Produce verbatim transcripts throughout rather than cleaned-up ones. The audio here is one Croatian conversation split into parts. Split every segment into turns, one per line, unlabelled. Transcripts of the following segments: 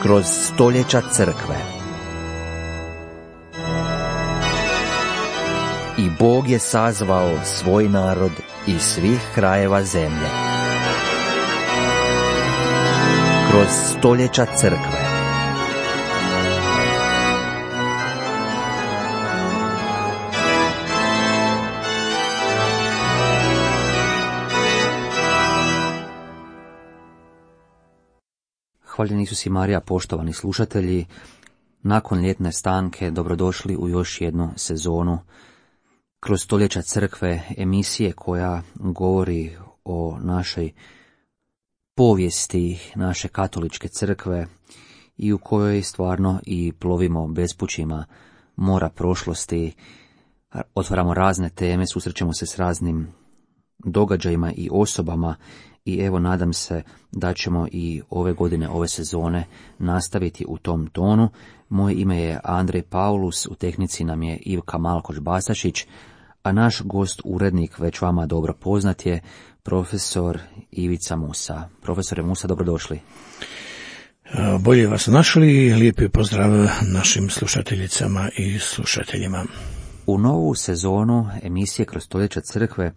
kroz stoljeća crkve. I Bog je sazvao svoj narod iz svih krajeva zemlje. Kroz stoljeća crkve.
Hvaljen Isus i Marija, poštovani slušatelji, nakon ljetne stanke dobrodošli u još jednu sezonu Kroz stoljeća crkve, emisije koja govori o našoj povijesti naše katoličke crkve i u kojoj stvarno i plovimo bespućima mora prošlosti, otvaramo razne teme, susrećemo se s raznim događajima i osobama. I evo, nadam se da ćemo i ove godine, ove sezone nastaviti u tom tonu. Moje ime je Andrej Paulus, u tehnici nam je Ivka Malkoš-Basašić, a naš gost, urednik, već vama dobro poznat je profesor Ivica Musa. Profesore Musa, dobrodošli.
Bolje vas našli, lijepi pozdrav našim slušateljicama i slušateljima.
U novu sezonu emisije Kroz stoljeća crkve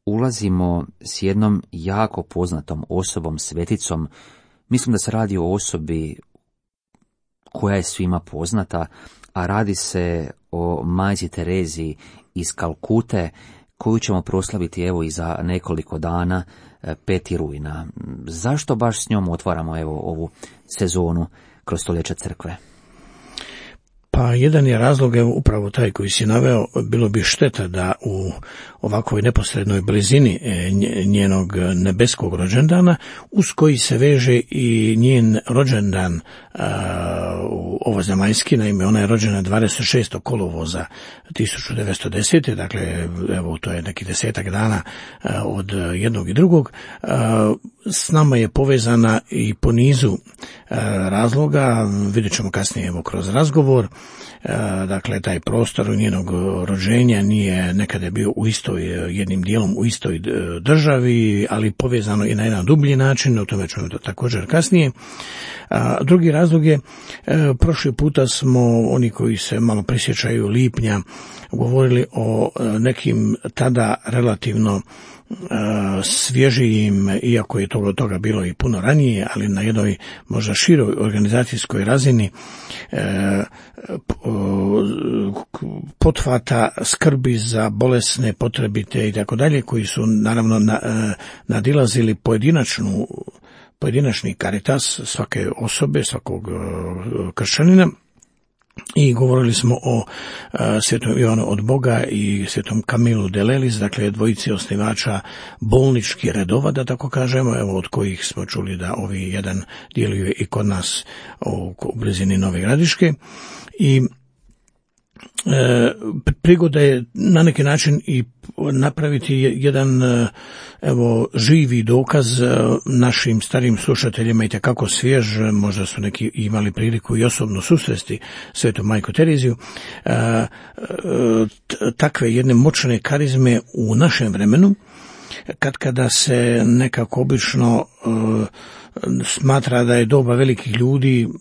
ulazimo s jednom jako poznatom osobom, sveticom. Mislim da se radi o osobi koja je svima poznata, a radi se o majci Tereziji iz Kalkute, koju ćemo proslaviti evo i za nekoliko dana, peti rujna. Zašto baš s njom otvaramo evo ovu sezonu Kroz stoljeća crkve?
Pa jedan je razlog, evo, upravo taj koji si naveo. Bilo bi šteta da u ovakvoj neposrednoj blizini njenog nebeskog rođendana, uz koji se veže i njen rođendan u ovozemaljski, naime ona je rođena dvadeset šestog kolovoza tisuću devetsto desete. Dakle, evo, to je neki desetak dana od jednog i drugog. S nama je povezana i po nizu razloga, vidjet ćemo kasnije evo kroz razgovor. Dakle, taj prostor njenog rođenja nije nekada bio u istoj, jednim dijelom u istoj državi, ali povezano i na jedan dublji način, o tome ćemo to također kasnije. A drugi razlog je, prošli puta smo, oni koji se malo prisjećaju lipnja, govorili o nekim tada relativno svježijim, iako je toga, toga bilo i puno ranije, ali na jednoj možda široj organizacijskoj razini pothvata skrbi za bolesne, potrebite i tako dalje, koji su naravno nadilazili pojedinačnu pojedinačni karitas svake osobe, svakog kršćanina. I govorili smo o uh, svetom Ivanu od Boga i svetom Kamilu de Lelis, dakle dvojici osnivača bolničkih redova, da tako kažemo, evo od kojih smo čuli da ovi jedan djeluje i kod nas u, u blizini Nove Gradiške. I E, prigoda je na neki način i napraviti jedan evo živi dokaz našim starim slušateljima i tekako svjež, možda su neki imali priliku i osobno susresti svetu majku Tereziju, e, e, takve jedne moćne karizme u našem vremenu, kad kada se nekako obično e, smatra da je doba velikih ljudi uh,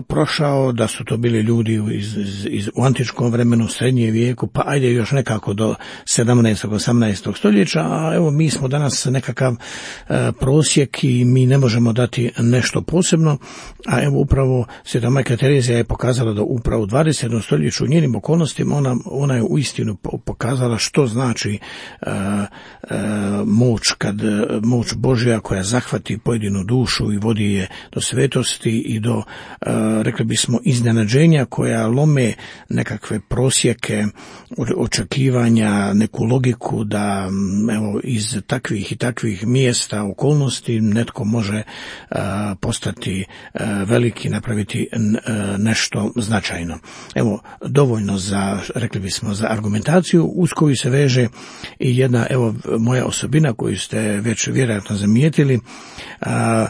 prošao, da su to bili ljudi iz, iz, iz, u antičkom vremenu, srednje vijeku, pa ajde još nekako do sedamnaestog osamnaestog stoljeća, a evo mi smo danas nekakav uh, prosjek i mi ne možemo dati nešto posebno, a evo upravo sveta majka Terezija je pokazala da upravo u dvadesetom stoljeću u njenim okolnostima ona, ona je uistinu pokazala što znači uh, uh, moć, kad moć Božja koja zahvati pojedinu dušu i vodi je do svetosti i do, rekli bismo, iznenađenja koja lome nekakve prosjeke očekivanja, neku logiku da evo iz takvih i takvih mjesta, okolnosti netko može postati veliki, napraviti nešto značajno. Evo, dovoljno za, rekli bismo, za argumentaciju uz koju se veže i jedna, evo, moja osobina koju ste već vjerojatno primijetili, a,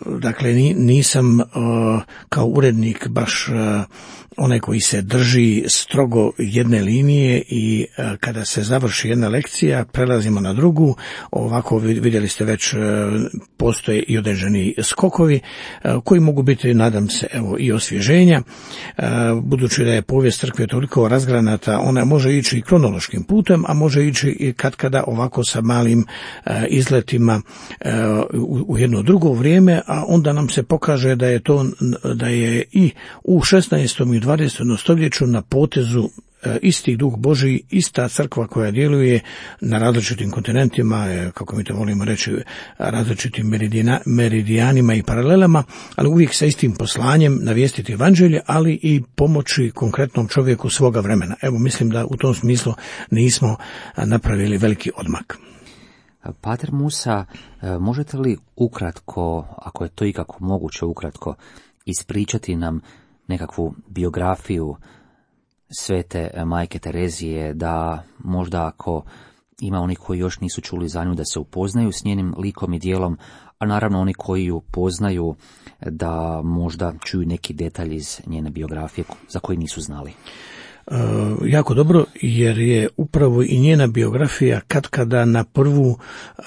dakle nisam a, kao urednik baš a, onaj koji se drži strogo jedne linije i a, kada se završi jedna lekcija prelazimo na drugu. Ovako vidjeli ste već a, postoje i određeni skokovi a, koji mogu biti, nadam se, evo i osvježenja. A, budući da je povijest crkve toliko razgranata, ona može ići i kronološkim putem, a može ići i katkada ovako sa malim a, izletima a, u, u jedno drugo vrijeme, a onda nam se pokaže da je to, da je i u šesnaestom i dvadesetom stoljeću na potezu isti duh Božji, ista crkva koja djeluje na različitim kontinentima, kako mi to volimo reći, različitim meridijana, meridijanima i paralelama, ali uvijek sa istim poslanjem navijestiti evanđelje, ali i pomoći konkretnom čovjeku svoga vremena. Evo, mislim da u tom smislu nismo napravili veliki odmak.
Pater Musa, možete li ukratko, ako je to ikako moguće ukratko, ispričati nam nekakvu biografiju svete majke Terezije, da možda ako ima oni koji još nisu čuli za nju da se upoznaju s njenim likom i djelom, a naravno oni koji ju poznaju da možda čuju neki detalj iz njene biografije za koji nisu znali.
Uh, jako dobro, jer je upravo i njena biografija katkada na prvu uh,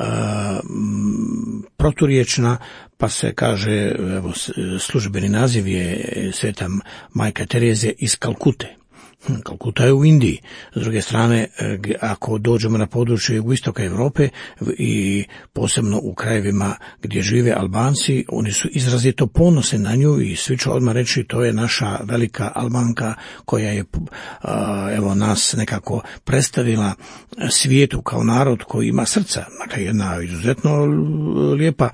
proturječna, pa se kaže, evo, službeni naziv je sveta majka Terezija iz Kalkute. Kalkuta je u Indiji. S druge strane, ako dođemo na područje jugoistoka Europe i posebno u krajevima gdje žive Albanci, oni su izrazito ponosni na nju i svi će odmah reći to je naša velika Albanka koja je evo nas nekako predstavila svijetu kao narod koji ima srca. Dakle, jedna izuzetno lijepa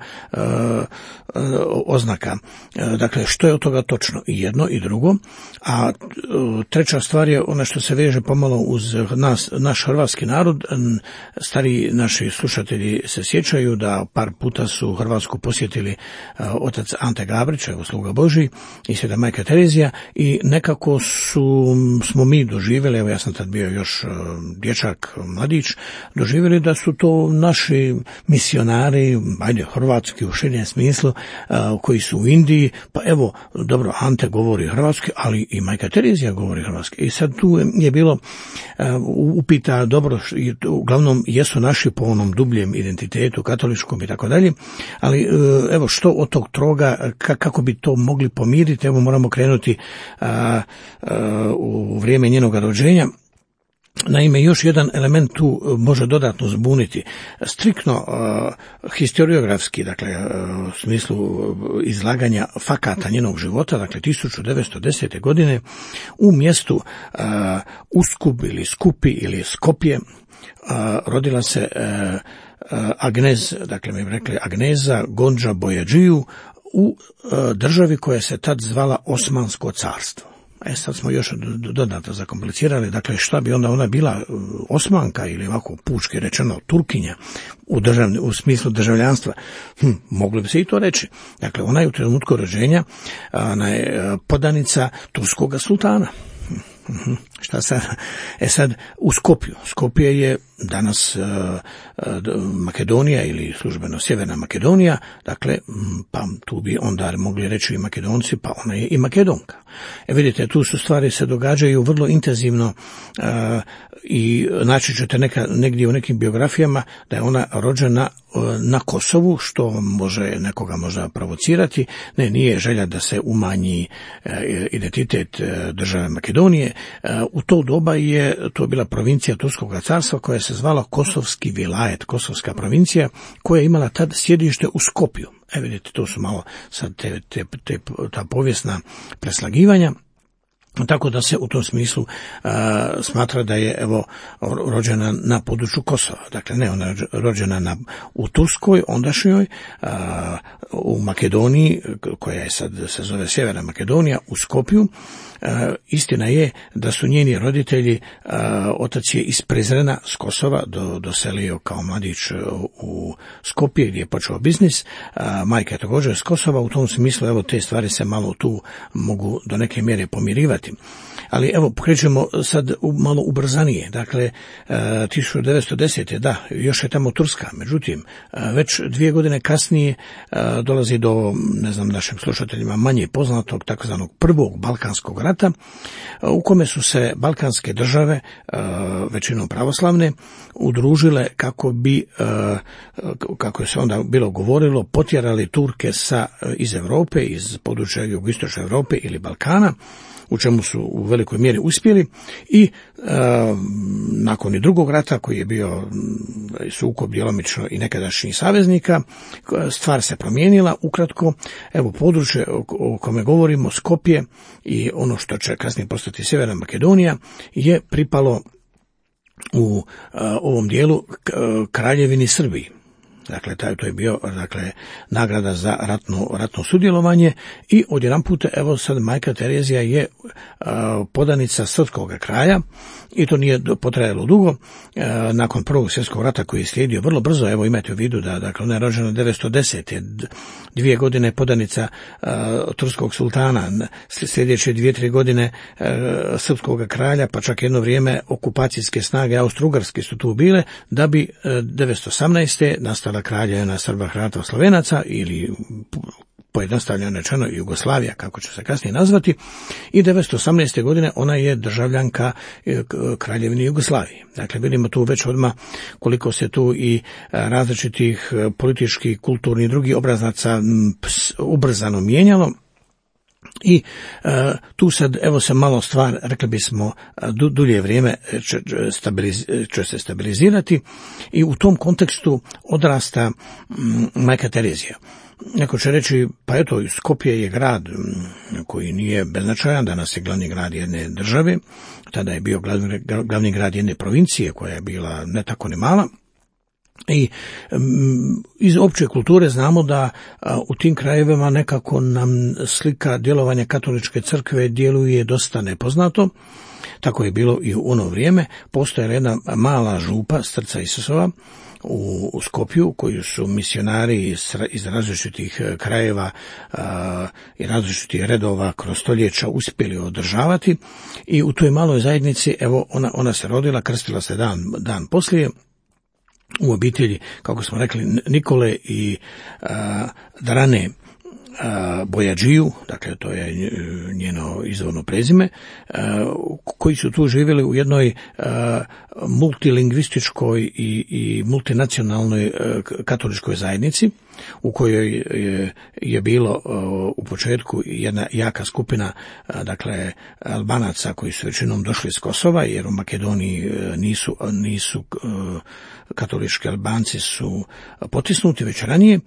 oznaka. Dakle, što je od toga točno? I jedno i drugo. A treća stvar je ono što se veže pomalo uz nas, naš hrvatski narod. Stari naši slušatelji se sjećaju da par puta su Hrvatsku posjetili otac Ante Gabrić, evo sluga Božji, i sveta majka Terezija, i nekako su, smo mi doživjeli, evo ja sam tad bio još dječak, mladić, doživjeli da su to naši misionari, ajde, hrvatski u širem smislu, koji su u Indiji, pa evo, dobro, Ante govori hrvatski, ali i majka Terezija govori hrvatski. I sad tu je bilo uh, upita, dobro, uglavnom jesu naši po onom dubljem identitetu, katoličkom i tako dalje, ali uh, evo što od tog troga, kako bi to mogli pomiriti, evo moramo krenuti uh, uh, u vrijeme njenoga rođenja. Naime, još jedan element tu može dodatno zbuniti. Striktno uh, historiografski, dakle, uh, u smislu izlaganja fakata njenog života, dakle, tisuću devetsto desete. godine u mjestu uh, Uskup ili Skupi ili Skopje uh, rodila se uh, uh, Agnez, dakle, mi bi rekli Agneza Gondža Bojađiju u uh, državi koja se tad zvala Osmansko carstvo. E sad smo još dodatno zakomplicirali, dakle šta bi onda ona bila, Osmanka ili ovako pučki rečeno Turkinja u, državni, u smislu državljanstva, hm, mogli bi se i to reći. Dakle, ona je u trenutku rođenja, ona je podanica turskoga sultana. Hm, šta sad? E sad, u Skopju. Skopje je danas uh, uh, Makedonija ili službeno Sjeverna Makedonija, dakle, pa tu bi onda mogli reći i Makedonci, pa ona je i Makedonka. E vidite, tu su stvari se događaju vrlo intenzivno uh, i naći ćete neka, negdje u nekim biografijama da je ona rođena uh, na Kosovu, što može nekoga možda provocirati. Ne, nije želja da se umanji uh, identitet uh, države Makedonije. Uh, u to doba je to bila provincija Turskog carstva koja se zvala Kosovski vilajet, Kosovska provincija, koja je imala tad sjedište u Skopju. E vidite, to su malo sad te, te, te, ta povijesna preslagivanja. Tako da se u tom smislu uh, smatra da je evo rođena na području Kosova. Dakle, ne, ona je rođena na, u Turskoj, ondašnjoj, uh, u Makedoniji, koja je sad se zove Sjeverna Makedonija, u Skopju. Uh, istina je da su njeni roditelji, uh, otac je iz Prizrena, s Kosova, do, doselio kao mladić u Skopje gdje je počeo biznis. Uh, majka je također s Kosova, u tom smislu evo te stvari se malo tu mogu do neke mjere pomirivati. očekivati. Ali evo, krećemo sad malo ubrzanije. Dakle, tisuću devetsto desete. da, još je tamo Turska. Međutim, već dvije godine kasnije dolazi do, ne znam, našim slušateljima manje poznatog takozvanog prvog Balkanskog rata, u kome su se balkanske države, većinom pravoslavne, udružile kako bi, kako je se onda bilo govorilo, potjerali Turke sa, iz Europe, iz područja jugoistočne Europe ili Balkana, u čemu su u velikoj mjeri uspjeli i e, nakon i drugog rata koji je bio sukob djelomično i nekadašnjih saveznika, stvar se promijenila. Ukratko, evo područje o, o kome govorimo, Skopje i ono što će kasnije postati Sjeverna Makedonija, je pripalo u e, ovom dijelu k, Kraljevini Srbiji. Dakle, taj, to je bio, dakle, nagrada za ratno, ratno sudjelovanje i odjedanput, evo sad majka Terezija je a, podanica srpskog kraja i to nije potrajalo dugo. A, nakon prvog svjetskog rata koji je slijedio vrlo brzo, evo imajte u vidu da, dakle, ona je rođena devetsto desete. Dvije godine podanica a, turskog sultana, sljedeće dvije, tri godine a, srpskog kralja, pa čak jedno vrijeme okupacijske snage Austro-Ugarske su tu bile, da bi a, devetsto osamnaeste. nastala kraljevina Srba, Hrvata, Slovenaca ili pojednostavljeno rečeno Jugoslavija, kako će se kasnije nazvati, i devetsto osamnaeste. godine ona je državljanka Kraljevine Jugoslavije. Dakle, vidimo tu već odmah koliko se tu i različitih političkih, kulturnih i drugih obrazaca ubrzano mijenjalo. I e, tu sad, evo se malo stvar, rekli bismo, du, dulje vrijeme će, stabiliz, će se stabilizirati i u tom kontekstu odrasta m, majka Terezija. Neko će reći, pa eto, Skopje je grad koji nije beznačajan, danas je glavni grad jedne države, tada je bio glavni, glavni grad jedne provincije koja je bila ne tako ni mala. I um, iz opće kulture znamo da a, u tim krajevima nekako nam slika djelovanja katoličke crkve djeluje dosta nepoznato. Tako je bilo i u ono vrijeme. Postojala jedna mala župa Srca Isusova u, u Skopju, koju su misionari iz, iz različitih krajeva a, i različitih redova kroz stoljeća uspjeli održavati. I u toj maloj zajednici, evo, ona, ona se rodila, krstila se dan, dan poslije, u obitelji, kako smo rekli, Nikole i a, Drane a, Bojađiju, dakle to je njeno izvorno prezime, a, koji su tu živjeli u jednoj a, multilingvističkoj i, i multinacionalnoj a, katoličkoj zajednici, u kojoj je, je bilo a, u početku jedna jaka skupina, a, dakle Albanaca koji su većinom došli iz Kosova, jer u Makedoniji a, nisu, nisu a, katolički Albanci su potisnuti već ranije.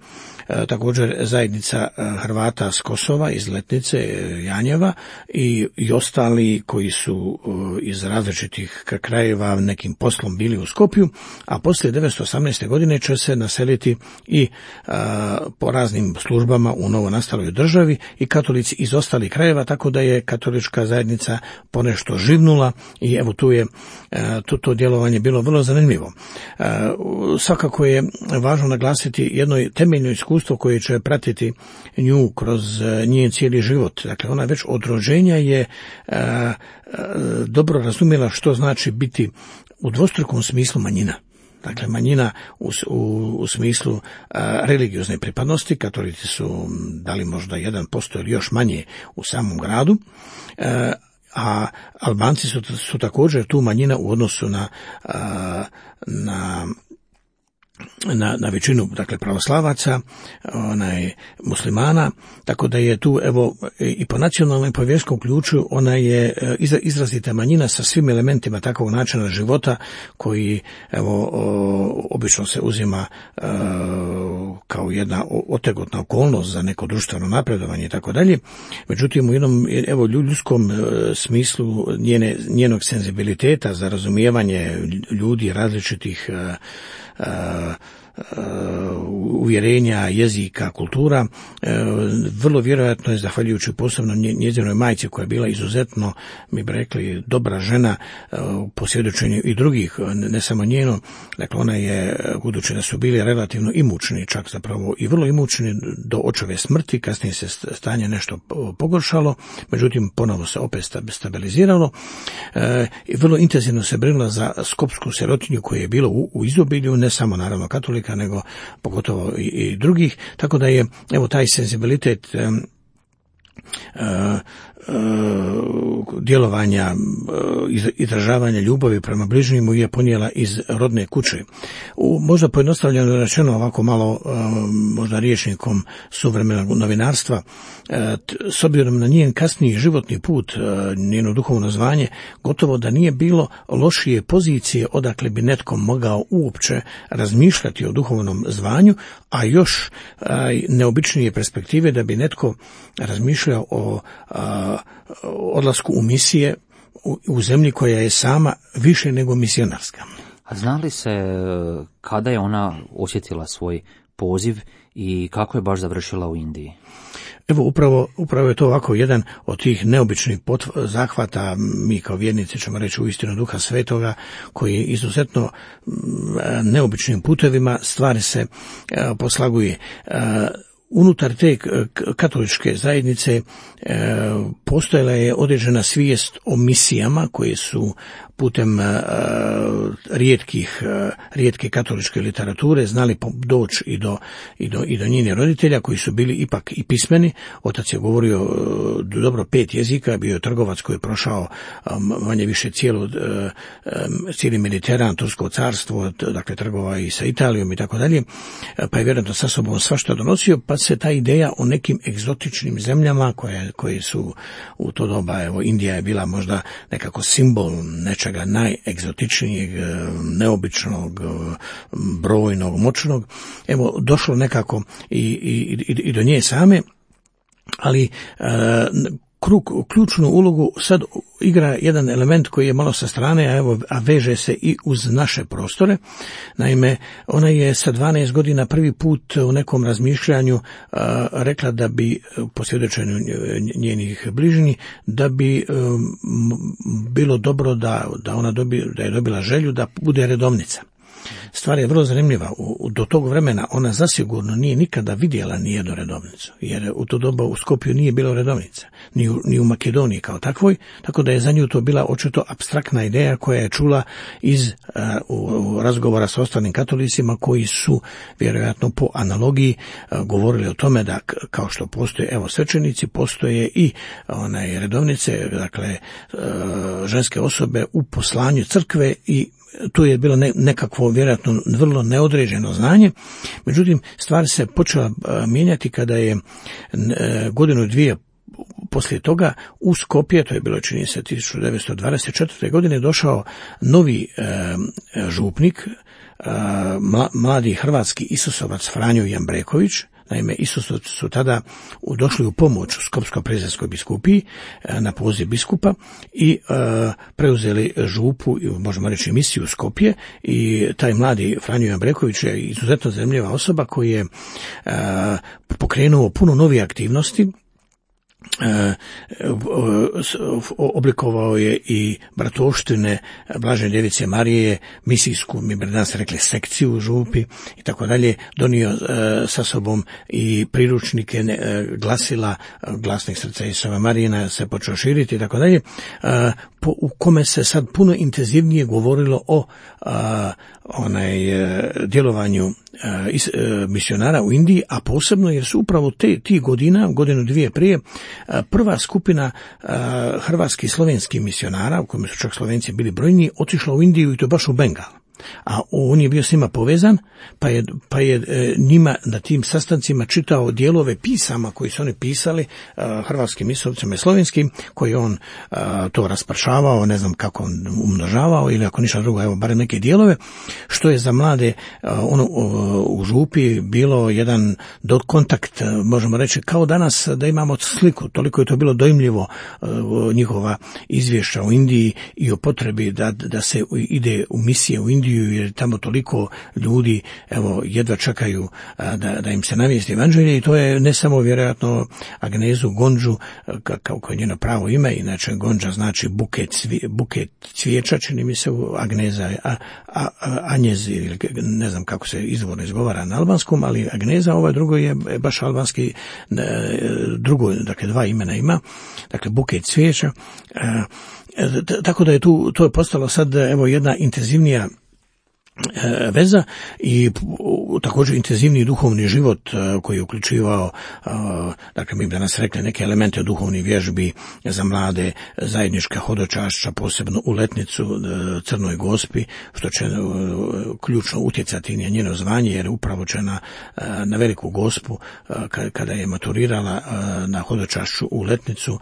E, također zajednica Hrvata s Kosova, iz Letnice, Janjeva i, i ostali koji su e, iz različitih krajeva nekim poslom bili u Skopju, a poslije devetsto osamnaeste. godine će se naseliti i a, po raznim službama u novonastaloj državi i katolici iz ostalih krajeva, tako da je katolička zajednica ponešto živnula i evo tu je a, to, to djelovanje bilo vrlo zanimljivo. A, Svakako je važno naglasiti jedno temeljno iskustvo koje će pratiti nju kroz njen cijeli život. Dakle, ona već od rođenja je a, a, dobro razumjela što znači biti u dvostrukom smislu manjina. Dakle, manjina u, u, u smislu a, religiozne pripadnosti, katolici su dali možda jedan posto ili još manje u samom gradu, a, a Albanci su, su također tu manjina u odnosu na, a, na Na, na većinu, dakle, pravoslavaca, onaj, muslimana, tako da je tu, evo, i po nacionalnom i po vjerskom ključu, ona je izrazita manjina sa svim elementima takvog načina života koji, evo, obično se uzima kao jedna otegotna okolnost za neko društveno napredovanje i tako dalje. Međutim, u jednom, evo, ljudskom smislu njene, njenog senzibiliteta za razumijevanje ljudi različitih Uh, uvjerenja, jezika, kultura. Vrlo vjerojatno je, zahvaljujući posebno njezinoj majci koja je bila izuzetno, mi bi rekli, dobra žena po svjedočenju i drugih, ne samo njeno. Dakle, ona je, budući da su bili relativno imućni, čak zapravo i vrlo imućni do očeve smrti, kasnije se stanje nešto pogoršalo, međutim ponovo se opet stabiliziralo i vrlo intenzivno se brinula za skopsku sirotinju koje je bilo u, u izobilju, ne samo naravno katolika, nego pogotovo i, i drugih, tako da je evo taj senzibilitet um, uh, djelovanja, izražavanja ljubavi prema bližnjemu je ponijela iz rodne kuće. U, možda pojednostavljeno rečeno, ovako malo možda rječnikom suvremenog novinarstva, s obzirom na njen kasniji životni put, njeno duhovno zvanje, gotovo da nije bilo lošije pozicije odakle bi netko mogao uopće razmišljati o duhovnom zvanju, a još neobičnije perspektive da bi netko razmišljao o odlasku u misije u, u zemlji koja je sama više nego misionarska.
A zna li se kada je ona osjetila svoj poziv i kako je baš završila u Indiji?
Evo, upravo, upravo je to ovako jedan od tih neobičnih potv- zahvata, mi kao vjernici ćemo reći uistinu Duha Svetoga, koji je izuzetno neobičnim putevima stvari se poslaguje. Unutar te katoličke zajednice e, postojala je određena svijest o misijama koje su putem e, rijetkih, e, rijetke katoličke literature znali doći i do, i do, i do njenih roditelja koji su bili ipak i pismeni. Otac je govorio e, dobro pet jezika, bio je trgovac koji je prošao e, manje više cijelu, e, cijeli Mediteran, Tursko carstvo, dakle trgova i sa Italijom i tako dalje, pa je vjerojatno sa sobom svašta donosio, pa se ta ideja o nekim egzotičnim zemljama koje, koje su u to doba, evo Indija je bila možda nekako simbol nečega najegzotičnijeg, neobičnog, brojnog, moćnog, evo došlo nekako i, i, i do nje same, ali e, Krug, ključnu ulogu sad igra jedan element koji je malo sa strane, a evo, a veže se i uz naše prostore. Naime, ona je sa dvanaest godina prvi put u nekom razmišljanju a, rekla da bi, po svjedočenju njenih bližnjih, da bi um, bilo dobro da, da ona dobi, da je dobila želju da bude redovnica. Stvar je vrlo zanimljiva. U, do tog vremena ona zasigurno nije nikada vidjela nijednu redovnicu, jer u to doba u Skopju nije bilo redovnica, ni u, ni u Makedoniji kao takvoj, tako da je za nju to bila očito apstraktna ideja koja je čula iz uh, u, razgovora sa ostalim katolicima koji su vjerojatno po analogiji uh, govorili o tome da kao što postoje evo svećenici, postoje i onaj redovnice, dakle uh, ženske osobe u poslanju crkve i tu je bilo nekakvo vjerojatno vrlo neodređeno znanje, međutim stvar se počela mijenjati kada je godinu dvije poslije toga u Skopje, to je bilo čini se tisuću devetsto dvadeset četvrte. godine, došao novi e, župnik, e, mladi hrvatski Isusovac Franjo Jambreković. Naime, Isusovci su tada došli u pomoć u Skopsko-Prizrenskoj biskupiji na poziv biskupa i e, preuzeli župu, možemo reći misiju Skopje, i taj mladi Franjo Jambreković je izuzetno zanimljiva osoba koji je e, pokrenuo puno novih aktivnosti. E, oblikovao je i bratoštine Blažene Djevice Marije, misijsku, mi bi danas rekli sekciju u župi i tako dalje, donio e, sa sobom i priručnike e, glasila, glasnih srca Isuse Marijina se počeo širiti i tako dalje, e, po, u kome se sad puno intenzivnije govorilo o a, onaj e, djelovanju e, is, e, misionara u Indiji, a posebno jer su upravo te ti godina, godinu dvije prije, a, prva skupina a, hrvatskih i slovenskih misionara, u kojima su čak Slovenci bili brojniji, otišla u Indiju i to baš u Bengal. A on je bio s njima povezan, pa je, pa je e, njima na tim sastancima čitao dijelove pisama koji su oni pisali, a, hrvatskim misioncima i slovenskim, koji on a, to raspršavao, ne znam kako on umnožavao, ili ako ništa drugo, evo barem neke dijelove, što je za mlade a, ono, u župi bilo jedan do kontakt, možemo reći, kao danas da imamo sliku, toliko je to bilo dojmljivo a, njihova izvješća u Indiji i o potrebi da, da se ide u misije u Indiju ubiju, jer tamo toliko ljudi, evo, jedva čekaju a, da, da im se navijesti evanđelje, i to je ne samo vjerojatno Agnezu Gondžu, kao koje je njeno pravo ime, inače Gondža znači buket, cvi, buket cvijeća, čini mi se, Agneza, a, a, a, Anjez, ili ne znam kako se izvorno izgovara na albanskom, ali Agneza, ovaj drugo je baš albanski, drugo, dakle dva imena ima, dakle buket cvijeća, tako da je tu, to je postalo sad, evo, jedna intenzivnija veza i također intenzivni duhovni život koji je uključivao, dakle mi bi danas rekli, neke elemente duhovnih vježbi za mlade, zajednička hodočašća, posebno u letnicu Crnoj Gospi, što će ključno utjecati na njeno zvanje, jer upravo će na, na Veliku Gospu, kada je maturirala na hodočašću u letnicu,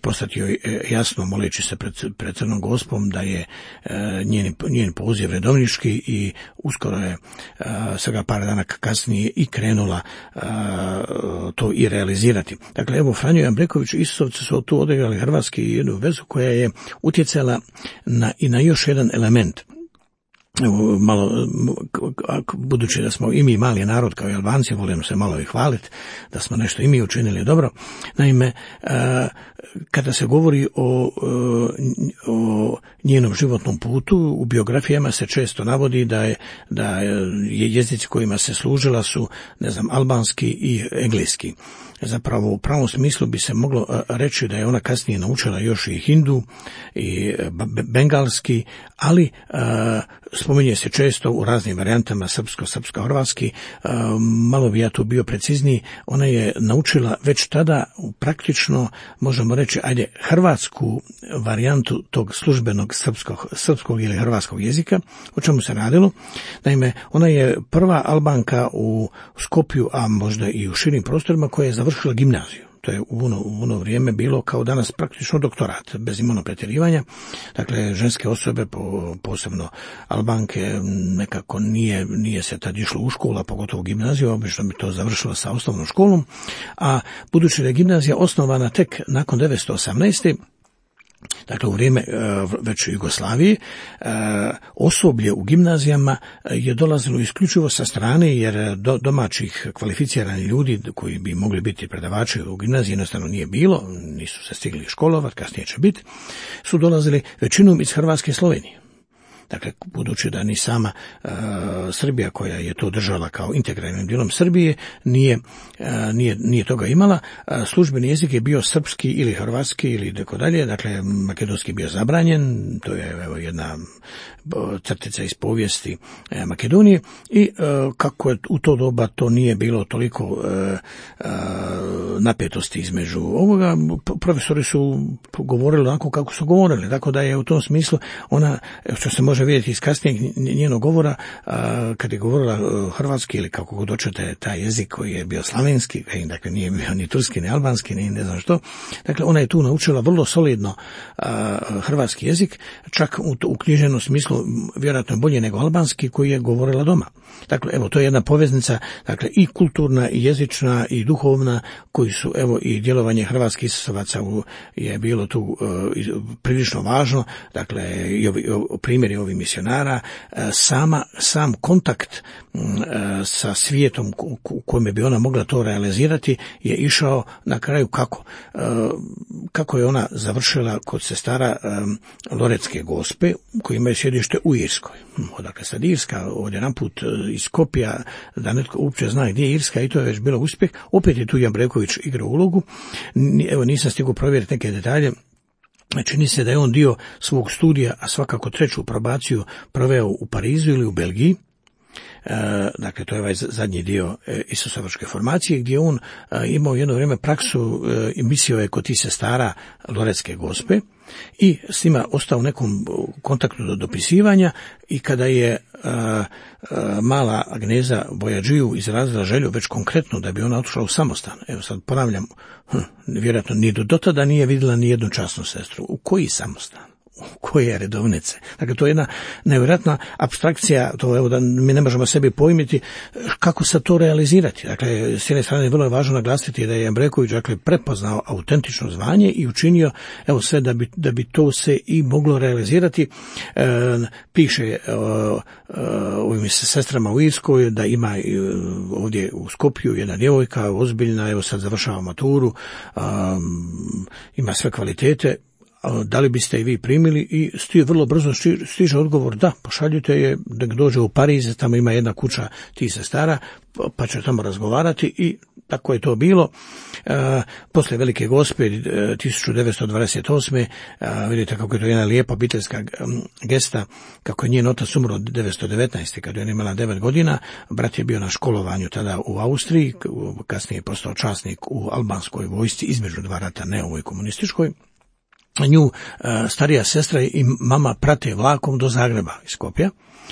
postati joj jasno, moleći se pred, pred Crnom Gospom, da je njen, njen poziv redovnički, i uskoro je a, svega par dana kasnije i krenula a, to i realizirati. Dakle, evo, Franjo i Ambreković Isusovci su tu odigrali hrvatski jednu vezu koja je utjecala na, i na još jedan element. Evo, malo, budući da smo i mi mali narod kao i Albanci, volimo se malo i hvaliti da smo nešto i mi učinili dobro. Naime, kada se govori o, o njenom životnom putu, u biografijama se često navodi da je, da je jezici kojima se služila su, ne znam, albanski i engleski. Zapravo, u pravom smislu bi se moglo reći da je ona kasnije naučila još i hindu i bengalski, ali a, spominje se često u raznim varijantama srpsko, srpsko-hrvatski. Malo bi ja tu bio precizniji. Ona je naučila već tada praktično, možemo reći, ajde, hrvatsku varijantu tog službenog srpskog, srpskog ili hrvatskog jezika. O čemu se radilo? Naime, ona je prva Albanka u Skopju, a možda i u širim prostorima, koja je završila gimnaziju. To je u ono, u ono vrijeme bilo kao danas praktično doktorat, bez imalo pretjerivanja. Dakle, ženske osobe, po, posebno Albanke, nekako nije, nije se tad išlo u školu, a pogotovo u gimnaziju, obično bi to završilo sa osnovnom školom, a budući da je gimnazija osnovana tek nakon devetsto osamnaeste. Dakle, u vrijeme već Jugoslavije, osoblje u gimnazijama je dolazilo isključivo sa strane, jer do, domaćih kvalificiranih ljudi koji bi mogli biti predavači u gimnaziji jednostavno nije bilo, nisu se stigli školovati, kasnije će biti, su dolazili većinom iz Hrvatske i Slovenije. Dakle, budući da ni sama uh, Srbija, koja je to držala kao integralnim dijelom Srbije, nije, uh, nije, nije toga imala, uh, službeni jezik je bio srpski ili hrvatski ili tako dalje, dakle, makedonski bio zabranjen, to je evo jedna crtica iz povijesti uh, Makedonije, i uh, kako je u to doba to nije bilo toliko uh, uh, napetosti između ovoga, profesori su govorili onako kako su govorili, tako da je u tom smislu ona, što se može vidjeti iz kasnijeg njenog govora, a, kad je govorila hrvatski ili kako god hoćete taj jezik koji je bio slavenski, dakle nije bio ni turski ni albanski ni ne znam što, dakle ona je tu naučila vrlo solidno a, hrvatski jezik, čak u, u književnom smislu vjerojatno bolje nego albanski koji je govorila doma. Dakle, evo, to je jedna poveznica, dakle, i kulturna, i jezična, i duhovna, koji su, evo, i djelovanje hrvatskih Isusovaca je bilo tu uh, prilično važno, dakle, i ovi, o, primjeri ovih misionara, uh, sama, sam kontakt uh, sa svijetom u, u kojem bi ona mogla to realizirati je išao na kraju kako? Uh, kako je ona završila kod sestara um, Loretske Gospe, koji imaju sjedište u Irskoj. Odakle sad Irska, ovdje naput iz Skopja, da netko uopće zna gdje je Irska, i to je već bilo uspjeh. Opet je tu Jambreković igrao ulogu. Evo, nisam stigao provjeriti neke detalje. Čini se da je on dio svog studija, a svakako treću probaciju, proveo u Parizu ili u Belgiji. E, dakle, to je ovaj zadnji dio e, Isusovačke formacije, gdje on e, imao jedno vrijeme praksu e, i mislio je kod tih sestara Loretske Gospe i s njima ostao u nekom kontaktu do dopisivanja, i kada je a, a, mala Agneza Bojađiju izrazila želju već konkretno da bi ona otišla u samostan, evo sad ponavljam, hm, vjerojatno ni do tada nije vidjela ni jednu časnu sestru. U koji samostan? koje redovnice. Dakle, to je jedna nevjerojatna apstrakcija, to evo da mi ne možemo sebi pojmiti kako se to realizirati. Dakle, s jedne strane vrlo je važno naglasiti da je Jambreković, dakle, prepoznao autentično zvanje i učinio evo sve da bi, da bi to se i moglo realizirati. E, piše e, ovim sestrama u Irskoj da ima e, ovdje u Skopju jedna djevojka ozbiljna, evo sad završava maturu, e, ima sve kvalitete, da li biste i vi primili, i sti vrlo brzo stiže odgovor da, pošaljite je, da dođe u Pariz, tamo ima jedna kuća tih sestara, pa će tamo razgovarati, i tako je to bilo. E, poslije Velike Gospe tisuću devetsto dvadeset osme a, vidite kako je to jedna lijepa obiteljska gesta, kako je njen otac umro devetsto devetnaeste kad je ona imala devet godina, brat je bio na školovanju tada u Austriji, kasnije je postao časnik u albanskoj vojsci između dva rata, ne ovoj komunističkoj. Nju starija sestra i mama prate vlakom do Zagreba iz Skopja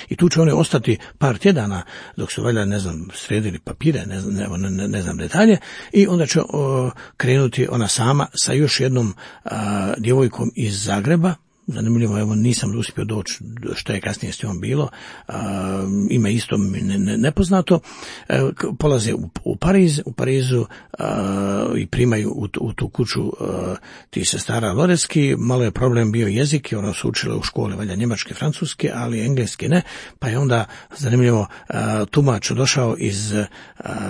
i tu će one ostati par tjedana dok su valjda, ne znam, sredili papire, ne znam, ne, ne znam detalje, i onda će o, krenuti ona sama sa još jednom a, djevojkom iz Zagreba. Zanimljivo, evo nisam uspio doći što je kasnije s njom bilo, a, ime isto ne, ne, nepoznato. E, polaze u, u Pariz, u Parizu a, i primaju u, u tu kuću a, ti sestara Loreski. Malo je problem bio jezik, ona su učile u školi valja njemačke, francuske, ali engleski ne, pa je onda zanimljivo a, tumač došao iz a,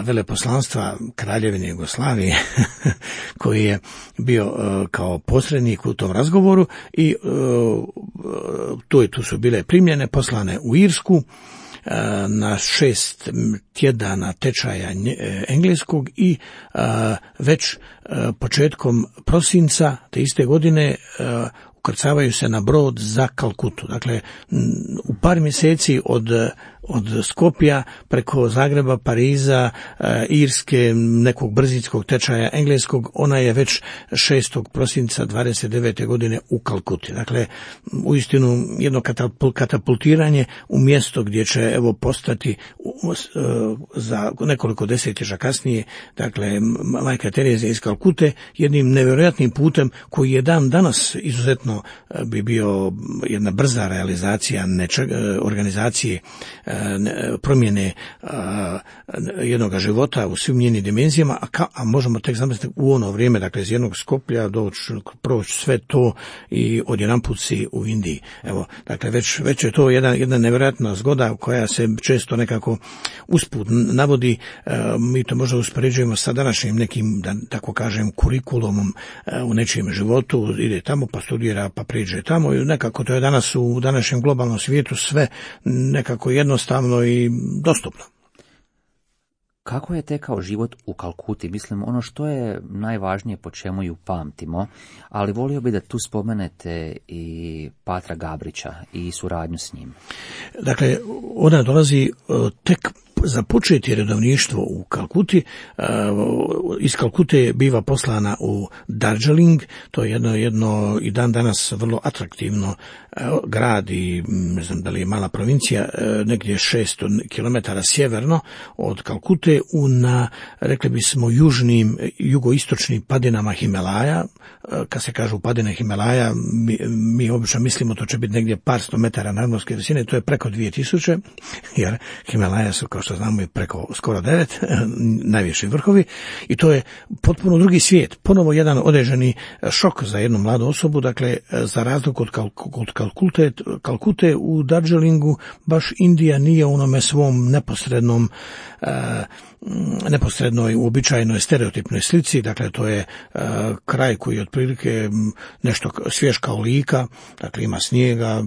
veleposlanstva Kraljevine Jugoslavije koji je bio a, kao posrednik u tom razgovoru, i a, Tu, tu su bile primljene, poslane u Irsku na šest tjedana tečaja engleskog, i već početkom prosinca te iste godine ukrcavaju se na brod za Kalkutu. Dakle, u par mjeseci od, od Skopja preko Zagreba, Pariza, Irske, nekog brzinskog tečaja engleskog, ona je već šestog prosinca dvadeset devete godine u Kalkuti. Dakle, uistinu jedno katapultiranje u mjesto gdje će evo postati za nekoliko desetljeća kasnije, dakle, majka Terezija iz Kalkute, jednim nevjerojatnim putem koji je dan danas izuzetno bi bio jedna brza realizacija nečeg, organizacije promjene jednog života u svim njenim dimenzijama, a, ka, a možemo tek zamisliti u ono vrijeme, dakle iz jednog Skoplja doći, proći sve to i odjedanput si u Indiji. Evo, dakle već, već je to jedna, jedna nevjerojatna zgoda koja se često nekako usput navodi. Mi to možda uspoređujemo sa današnjim nekim, da tako kažem, kurikulumom u nečijem životu, ide tamo pa studira pa priđe tamo, i nekako to je danas u današnjem globalnom svijetu sve nekako jednostavno i dostupno.
Kako je tekao život u Kalkuti? Mislim, ono što je najvažnije po čemu ju pamtimo, ali volio bi da tu spomenete i Patra Gabrića i suradnju s njim.
Dakle, ona dolazi tek započeti redovništvo u Kalkuti. Iz Kalkute biva poslana u Darjeeling, to je jedno, jedno i dan danas vrlo atraktivno grad i ne znam da li je mala provincija, negdje šesto kilometara sjeverno od Kalkute, u na, rekli bismo, južnim, jugoistočnim padinama Himalaja. Kad se kažu padine Himalaja, mi, mi obično mislimo to će biti negdje par sto metara nadmorske visine, to je preko dvije tisuće, jer Himalaja su, kao što znamo, i preko skoro devet, najviši vrhovi, i to je potpuno drugi svijet, ponovo jedan određeni šok za jednu mladu osobu. Dakle, za razliku od, Kalk- od Kalkute, Kalkute u Darjeelingu baš Indija nije u onome svom neposrednom uh, neposrednoj uobičajenoj stereotipnoj slici. Dakle, to je uh, kraj koji je otprilike nešto svjež kao lika, dakle ima snijega,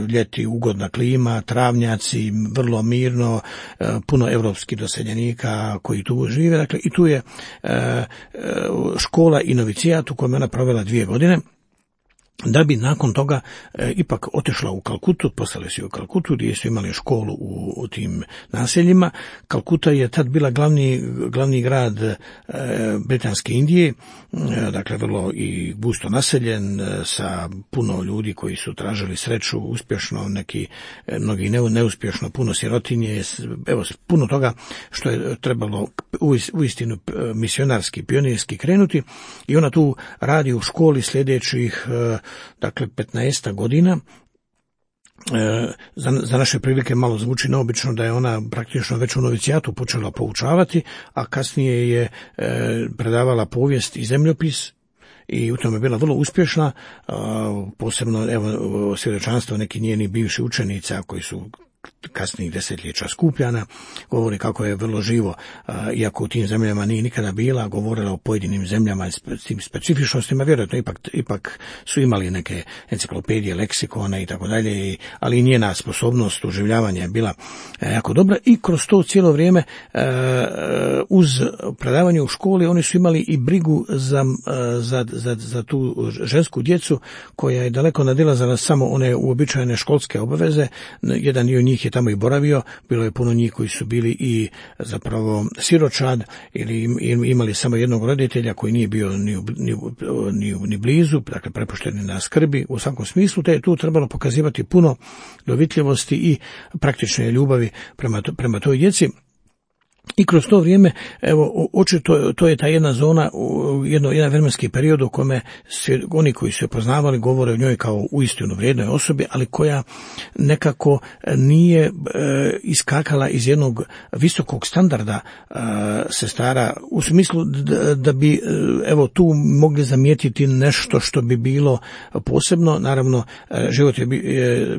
ljeti ugodna klima, travnjaci, vrlo mirno, uh, puno europskih doseljenika koji tu žive. Dakle, i tu je uh, škola i novicijat u kojem ona provela dvije godine, da bi nakon toga e, ipak otišla u Kalkutu, poslali su u Kalkutu gdje su imali školu u, u tim naseljima. Kalkuta je tad bila glavni, glavni grad e, Britanske Indije, e, dakle vrlo i gusto naseljen, e, sa puno ljudi koji su tražili sreću uspješno, neki e, mnogi ne, neuspješno, puno sirotinje, evo puno toga što je trebalo uistinu misionarski, pionirski krenuti, i ona tu radi u školi sljedećih e, dakle, petnaest godina. E, za, za naše prilike malo zvuči neobično da je ona praktično već u novicijatu počela poučavati, a kasnije je e, predavala povijest i zemljopis i u tome je bila vrlo uspješna, a, posebno evo svjedočanstvo neki njeni bivši učenica koji su kasnijih desetljeća skupljana, govori kako je vrlo živo, iako u tim zemljama nije nikada bila, govorila o pojedinim zemljama s tim specifičnostima, vjerojatno ipak, ipak su imali neke enciklopedije, leksikone i tako dalje, ali i njena sposobnost uživljavanja je bila jako dobra i kroz to cijelo vrijeme uz predavanje u školi oni su imali i brigu za, za, za, za tu žensku djecu koja je daleko nadilazila samo one uobičajene školske obaveze. Jedan dio njih je tamo i boravio, bilo je puno njih koji su bili i zapravo siročad ili imali samo jednog roditelja koji nije bio ni, ni, ni, ni blizu, dakle prepušteni na skrbi u svakom smislu, te je tu trebalo pokazivati puno dovitljivosti i praktične ljubavi prema, to, prema toj djeci. I kroz to vrijeme, evo, očito to je ta jedna zona, jedno, jedan vremenski period u kome se, oni koji su je poznavali govore o njoj kao uistinu vrijednoj osobi, ali koja nekako nije e, iskakala iz jednog visokog standarda e, sestara, u smislu da, da bi evo tu mogli zamijetiti nešto što bi bilo posebno. Naravno, život je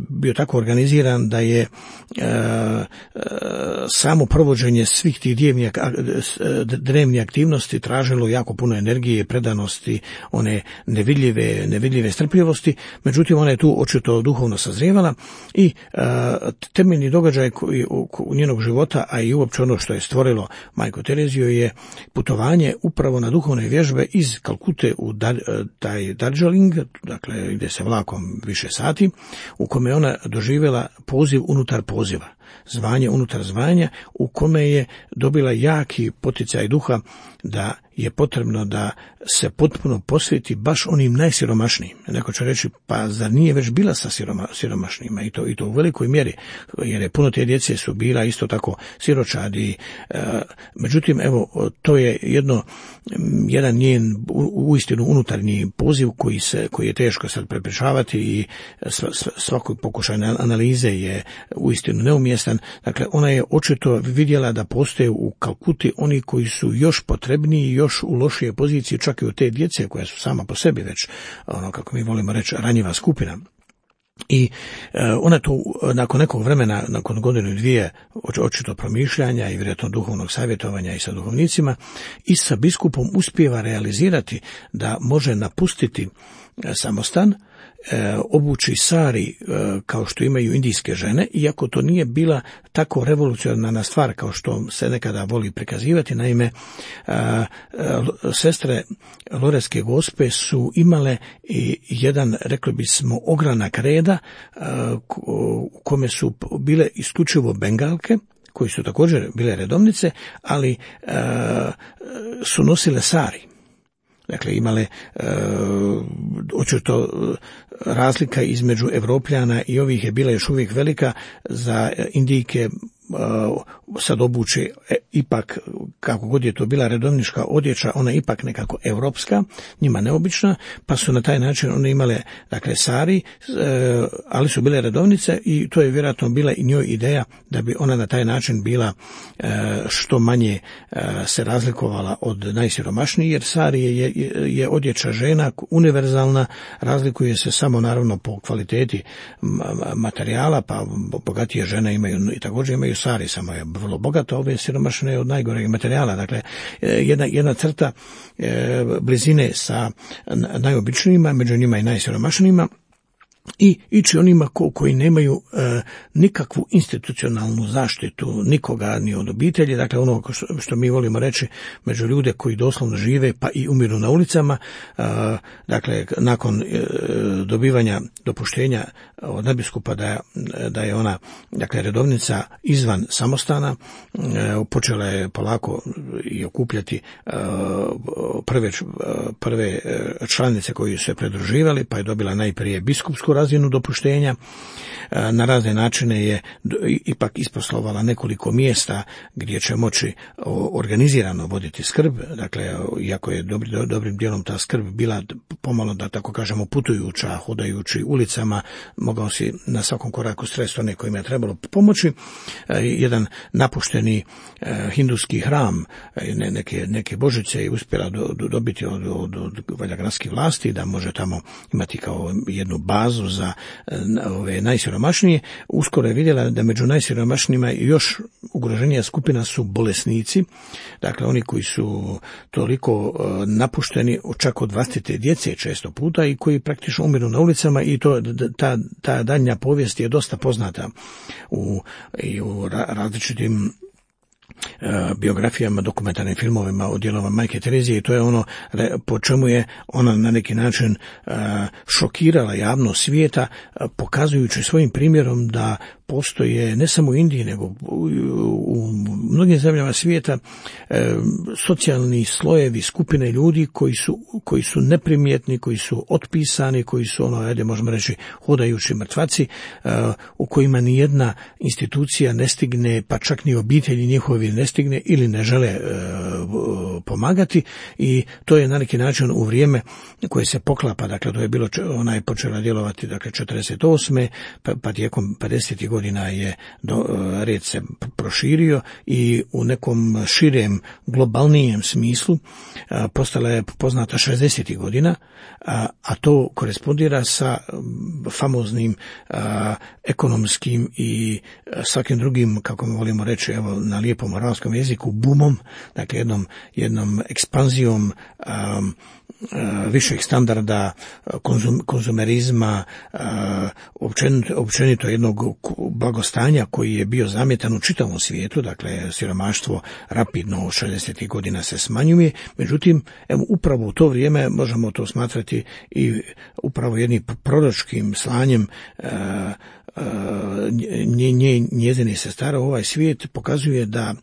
bio tako organiziran da je e, e, samo provođenje svih tih drevnih aktivnosti tražilo jako puno energije, predanosti, one nevidljive, nevidljive strpljivosti, međutim ona je tu očito duhovno sazrijevala i a, temeljni događaj koji, u, u njenog života, a i uopće ono što je stvorilo majku Tereziju je putovanje upravo na duhovne vježbe iz Kalkute u Dar, taj Darjeeling, dakle ide se vlakom više sati, u kome je ona doživjela poziv unutar poziva, zvanje unutar zvanja, u kome je dobila jaki poticaj duha da je potrebno da se potpuno posveti baš onim najsiromašnijim. Neko će reći, pa zar nije već bila sa siroma, siromašnijima i to, i to u velikoj mjeri, jer je puno te djece su bila isto tako siročadi. E, međutim, evo, to je jedno, jedan njen uistinu unutarnji poziv koji, se, koji je teško sad prepričavati i svaki pokušaj analize je uistinu neumjestan. Dakle, ona je očito vidjela da postoje u Kalkuti oni koji su još potrebniji, još u lošije pozicije, čak i od te djece koja su sama po sebi već, ono kako mi volimo reći, ranjiva skupina. I e, ona tu nakon nekog vremena, nakon godinu i dvije očito promišljanja i vjerojatno duhovnog savjetovanja i sa duhovnicima i sa biskupom uspijeva realizirati da može napustiti e, samostan, E, obući sari e, kao što imaju indijske žene, iako to nije bila tako revolucionarna stvar kao što se nekada voli prikazivati. Naime, e, e, sestre Loretske Gospe su imale i jedan, rekli bismo, ogranak reda e, u kome su bile isključivo bengalke, koji su također bile redovnice, ali e, su nosile sari. Dakle, imale e, očito razlika između Evropljana i ovih je bila još uvijek velika. Za Indijke sad obuče ipak, kako god je to bila redovnička odjeća, ona ipak nekako europska, njima neobična, pa su na taj način one imale, dakle, sari, ali su bile redovnice i to je vjerojatno bila i njoj ideja da bi ona na taj način bila što manje se razlikovala od najsiromašnijih, jer sari je, je, je odjeća žena univerzalna, razlikuje se samo naravno po kvaliteti materijala, pa bogatije žene imaju i također imaju sari, samo je vrlo bogata, ove siromašne od najgoreg materijala. Dakle, jedna, jedna crta e, blizine sa najobičnijima, među njima i najsiromašnijima, i ići onima ko, koji nemaju e, nikakvu institucionalnu zaštitu nikoga ni od obitelji, dakle ono što, što mi volimo reći među ljude koji doslovno žive pa i umiru na ulicama. E, dakle, nakon e, dobivanja dopuštenja od nadbiskupa da, da je ona, dakle, redovnica izvan samostana, e, počela je polako i okupljati e, prve, prve članice koji su se pridruživali, pa je dobila najprije biskupsku razinu dopuštenja. Na razne načine je ipak isposlovala nekoliko mjesta gdje će moći organizirano voditi skrb, dakle, iako je dobri, dobrim dijelom ta skrb bila pomalo, da tako kažemo, putujuća, hodajući ulicama, mogao si na svakom koraku sresti one kojima je trebalo pomoći. Jedan napušteni hinduski hram, neke, neke božice je uspjela do, do, dobiti od, od, od valja gradskih vlasti, da može tamo imati kao jednu bazu za ove najsiromašnije. Uskoro je vidjela da među najsiromašnijima još ugroženija skupina su bolesnici, dakle oni koji su toliko napušteni čak od vlastite djece često puta i koji praktično umiru na ulicama, i to ta, ta daljnja povijest je dosta poznata u, i u različitim biografijama, dokumentarnim filmovima o djelovanju Majke Terezije, i to je ono po čemu je ona na neki način šokirala javnost svijeta, pokazujući svojim primjerom da postoje ne samo u Indiji nego u mnogim zemljama svijeta socijalni slojevi, skupine ljudi koji su, koji su neprimjetni, koji su otpisani, koji su ono, ajde možemo reći, hodajući mrtvaci, u kojima ni jedna institucija ne stigne, pa čak ni obitelji njihovi ne stigne ili ne žele pomagati, i to je na neki način u vrijeme koje se poklapa, dakle to je bilo, ona je počela djelovati dakle četrdeset osme pa, pa tijekom pedesetih godina je do, red se proširio i u nekom širem, globalnijem smislu a, postala je poznata šezdesetih godina, a, a to korespondira sa famoznim a, ekonomskim i svakim drugim, kako volimo reći, evo na lijepom arapskom jeziku, bumom, dakle jednom, jednom ekspanzijom a, višeg standarda, konzum, konzumerizma, općenito, općenito jednog blagostanja koji je bio zamjetan u čitavom svijetu, dakle siromaštvo rapidno šezdesetih godina se smanjuje, međutim evo upravo u to vrijeme možemo to smatrati i upravo jednim proročkim slanjem nje, nje, njezini sestara. Ovaj svijet pokazuje da,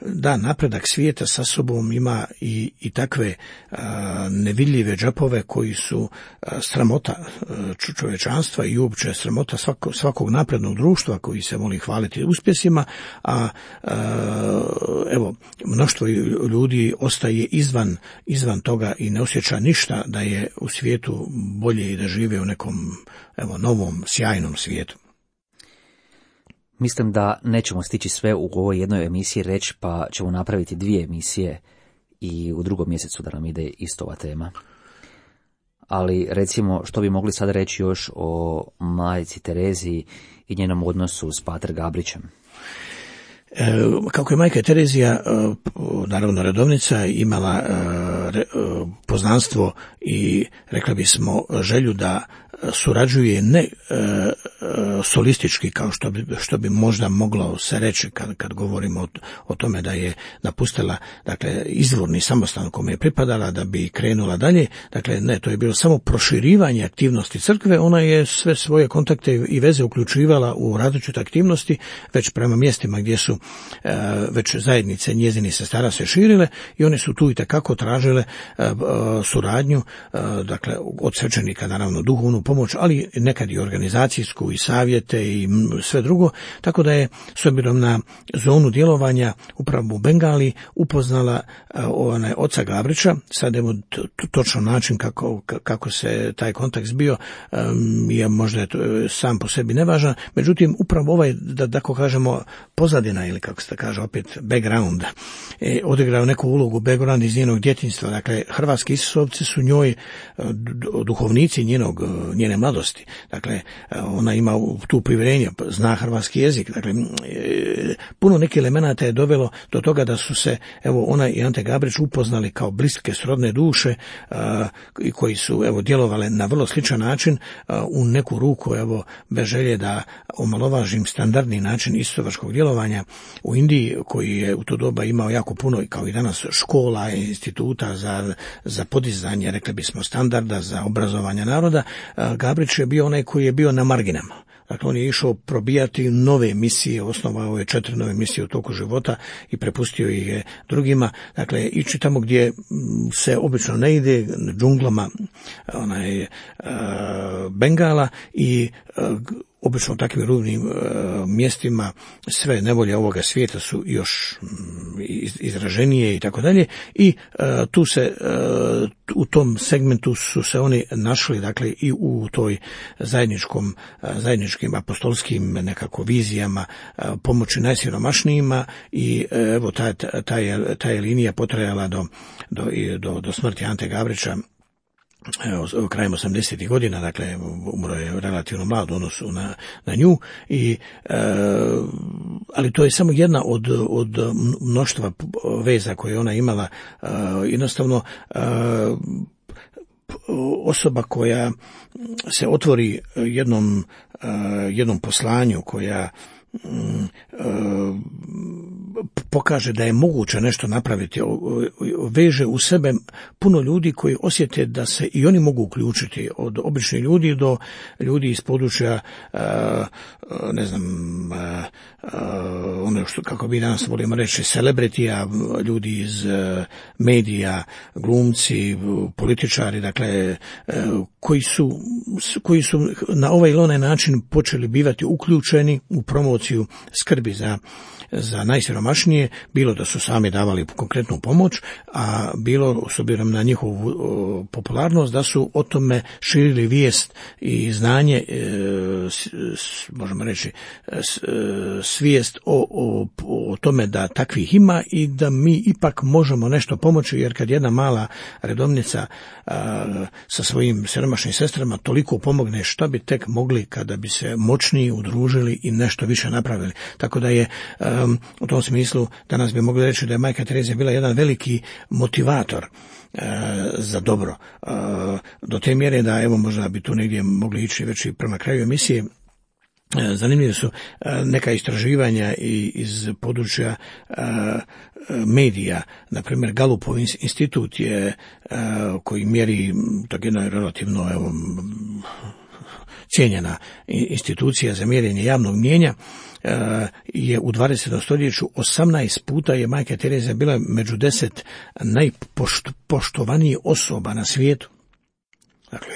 da napredak svijeta sa sobom ima i, i takve a, nevidljive džapove koji su a, sramota čovječanstva i uopće sramota svako, svakog naprednog društva koji se voli hvaliti uspjesima, a, a evo mnoštvo ljudi ostaje izvan, izvan toga i ne osjeća ništa da je u svijetu bolje i da žive u nekom evo novom sjajnom svijetu.
Mislim da nećemo stići sve u ovoj jednoj emisiji reći, pa ćemo napraviti dvije emisije i u drugom mjesecu da nam ide isto ova tema. Ali recimo, što bi mogli sad reći još o majci Tereziji i njenom odnosu s pater Gabrićem?
Kako je majka Terezija, naravno redovnica, imala poznanstvo i rekla bismo želju da surađuje ne e, solistički kao što bi, što bi možda moglo se reći kad, kad govorimo o, o tome da je napustila dakle izvorni samostan kome je pripadala da bi krenula dalje. Dakle ne, to je bilo samo proširivanje aktivnosti crkve. Ona je sve svoje kontakte i veze uključivala u različite aktivnosti već prema mjestima gdje su e, već zajednice njezinih sestara se širile, i one su tu itekako tražile e, e, suradnju, e, dakle od svećenika naravno duhovnu pomoć, ali nekad i organizacijsku i savjete i sve drugo, tako da je s obzirom na zonu djelovanja upravo u Bengali upoznala onaj oca Gabrića. Sad evo točno način kako, kako se taj kontakt zbio je možda sam po sebi nevažan, međutim upravo ovaj, da tako kažemo, pozadina ili kako se kaže opet background, je odigrao neku ulogu, background iz njenog djetinjstva. Dakle, hrvatski Isusovci su njoj duhovnici njenog njene mladosti. Dakle, ona ima tu privjerenje, zna hrvatski jezik. Dakle, puno nekih elemenata je dovelo do toga da su se, evo, ona i Ante Gabrić upoznali kao bliske srodne duše i koji su, evo, djelovale na vrlo sličan način u neku ruku, evo, bez želje da omalovažim standardni način istovačkog djelovanja u Indiji, koji je u to doba imao jako puno, kao i danas, škola i instituta za, za podizanje, rekli bismo, standarda za obrazovanje naroda. Gabrić je bio onaj koji je bio na marginama. Dakle, on je išao probijati nove misije, osnovao je četiri nove misije u toku života i prepustio ih je drugima. Dakle, ići tamo gdje se obično ne ide, džunglama onaj, uh, Bengala, i uh, obično u takvim rubnim uh, mjestima sve nevolje ovoga svijeta su još um, izraženije i tako dalje, i uh, tu se uh, u tom segmentu su se oni našli, dakle, i u toj zajedničkom, uh, zajedničkim apostolskim nekako vizijama uh, pomoći najsiromašnijima, i uh, evo ta, ta, ta, je, ta je linija potrajala do, do, do, do smrti Ante Gavrića evo, krajem osamdesetih godina, dakle umro je relativno mlad u odnosu na, na nju, i, e, ali to je samo jedna od, od mnoštva veza koje ona imala. E, jednostavno e, osoba koja se otvori jednom, e, jednom poslanju, koja pokaže da je moguće nešto napraviti, veže u sebe puno ljudi koji osjete da se i oni mogu uključiti, od običnih ljudi do ljudi iz područja, ne znam, ono što, kako bi danas volimo reći, celebritija, ljudi iz medija, glumci, političari, dakle, koji su, koji su na ovaj ili onaj način počeli bivati uključeni u promociju skrbi za za najsiromašnije, bilo da su sami davali konkretnu pomoć, a bilo, s obzirom na njihovu o, popularnost, da su o tome širili vijest i znanje, e, s, s, možemo reći, s, e, svijest o, o, o tome da takvih ima i da mi ipak možemo nešto pomoći, jer kad jedna mala redovnica a, sa svojim siromašnim sestrama toliko pomogne, šta bi tek mogli kada bi se moćniji udružili i nešto više napravili. Tako da je a, Um, u tom smislu danas bi mogli reći da je majka Terezija bila jedan veliki motivator uh, za dobro. Uh, do te mjere da, evo, možda bi tu negdje mogli ići već i prema kraju emisije. Uh, zanimljive su uh, neka istraživanja i, iz područja uh, medija. Na primjer, Galupov institut je, uh, koji mjeri, tako jedno je relativno, evo, cijenjena institucija za mjerenje javnog mnijenja, je u dvadesetom stoljeću osamnaest puta je majka Terezija bila među deset najpoštovanijih osoba na svijetu. Dakle,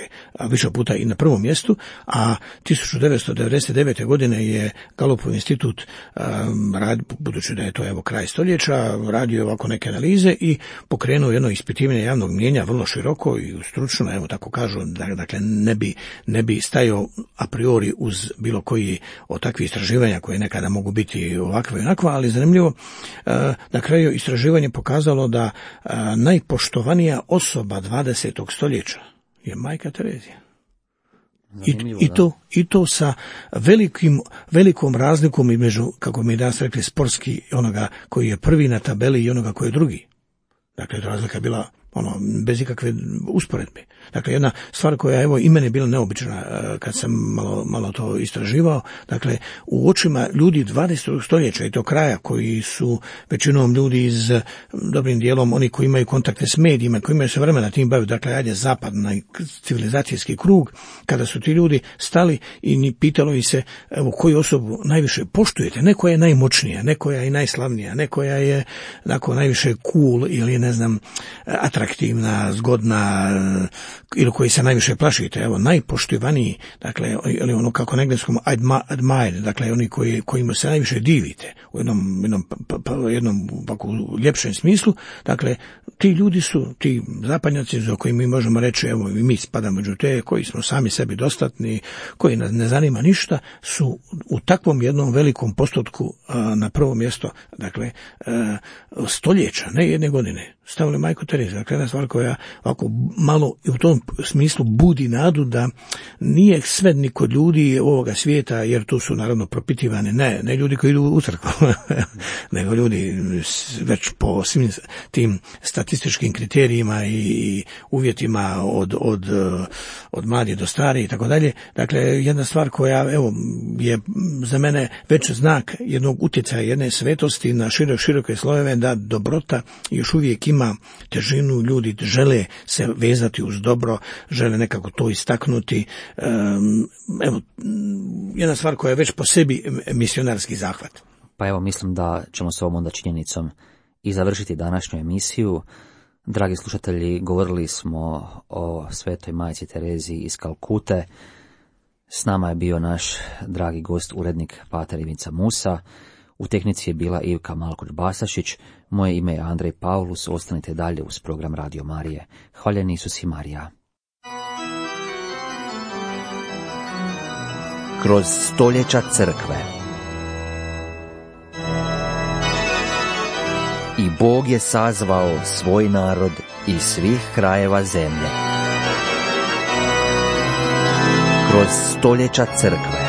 više puta i na prvom mjestu, a tisuću devetsto devedeset devete. godine je Galupov institut, um, rad, budući da je to evo kraj stoljeća, radio ovako neke analize i pokrenuo jedno ispitivanje javnog mnijenja vrlo široko i stručno, evo tako kažu, da, dakle ne bi, ne bi stajao a priori uz bilo koji od takvih istraživanja koje nekada mogu biti ovakve i onakva, ali zanimljivo, uh, na kraju istraživanje pokazalo da uh, najpoštovanija osoba dvadesetog stoljeća je majka Terezija. I, i, to, I to sa velikim, velikom razlikom između, kako mi danas rekli, sportski onoga koji je prvi na tabeli i onoga koji je drugi. Dakle, razlika je bila ono, bez ikakve usporedbe. Dakle, jedna stvar koja, evo, i mene je bila neobična kad sam malo, malo to istraživao, dakle, u očima ljudi dvadesetog stoljeća i to kraja, koji su većinom ljudi iz, dobrim dijelom, oni koji imaju kontakte s medijima, koji imaju se vremena tim baviti, dakle, ajde, zapadni civilizacijski krug, kada su ti ljudi stali i pitalo ih se, evo, koju osobu najviše poštujete, ne koja je najmoćnija, ne koja je najslavnija, ne koja je, dakle, najviše cool ili, ne znam, atraktivna, zgodna, ili koji se najviše plašite, evo, najpoštivaniji, dakle, ili ono kako na engleskom admire, dakle, oni koji, kojima se najviše divite, u jednom, jednom, pa, pa, jednom u ljepšem smislu, dakle, ti ljudi su, ti zapadnjaci za koji mi možemo reći, evo, i mi spadamo među te, koji smo sami sebi dostatni, koji nas ne zanima ništa, su u takvom jednom velikom postotku a, na prvo mjesto, dakle, a, stoljeća, ne jedne godine, stavili majku Tereziju. Dakle, jedna stvar koja ovako malo u tom smislu budi nadu da nije sve ni kod ljudi ovoga svijeta, jer tu su naravno propitivane, ne, ne ljudi koji idu u crkvu, nego ljudi već po svim tim statističkim kriterijima i uvjetima od, od, od mladih do starih i tako dalje. Dakle, jedna stvar koja, evo, je za mene već znak jednog utjecaja, jedne svetosti na širok, široke slojeve, da dobrota još uvijek ima težinu, ljudi žele se vezati uz dobro, žele nekako to istaknuti. Evo, jedna stvar koja je već po sebi misionarski zahvat.
Pa evo, mislim da ćemo s ovom onda činjenicom i završiti današnju emisiju. Dragi slušatelji, govorili smo o svetoj majci Tereziji iz Kalkute. S nama je bio naš dragi gost, urednik pater Ivica Musa. U tehnici je bila Ivka Malkoč-Basašić. Moje ime je Andrej Paulus. Ostanite dalje uz program Radio Marije. Hvaljen Isus i Marija.
Kroz stoljeća crkve. I Bog je sazvao svoj narod iz svih krajeva zemlje. Kroz stoljeća crkve.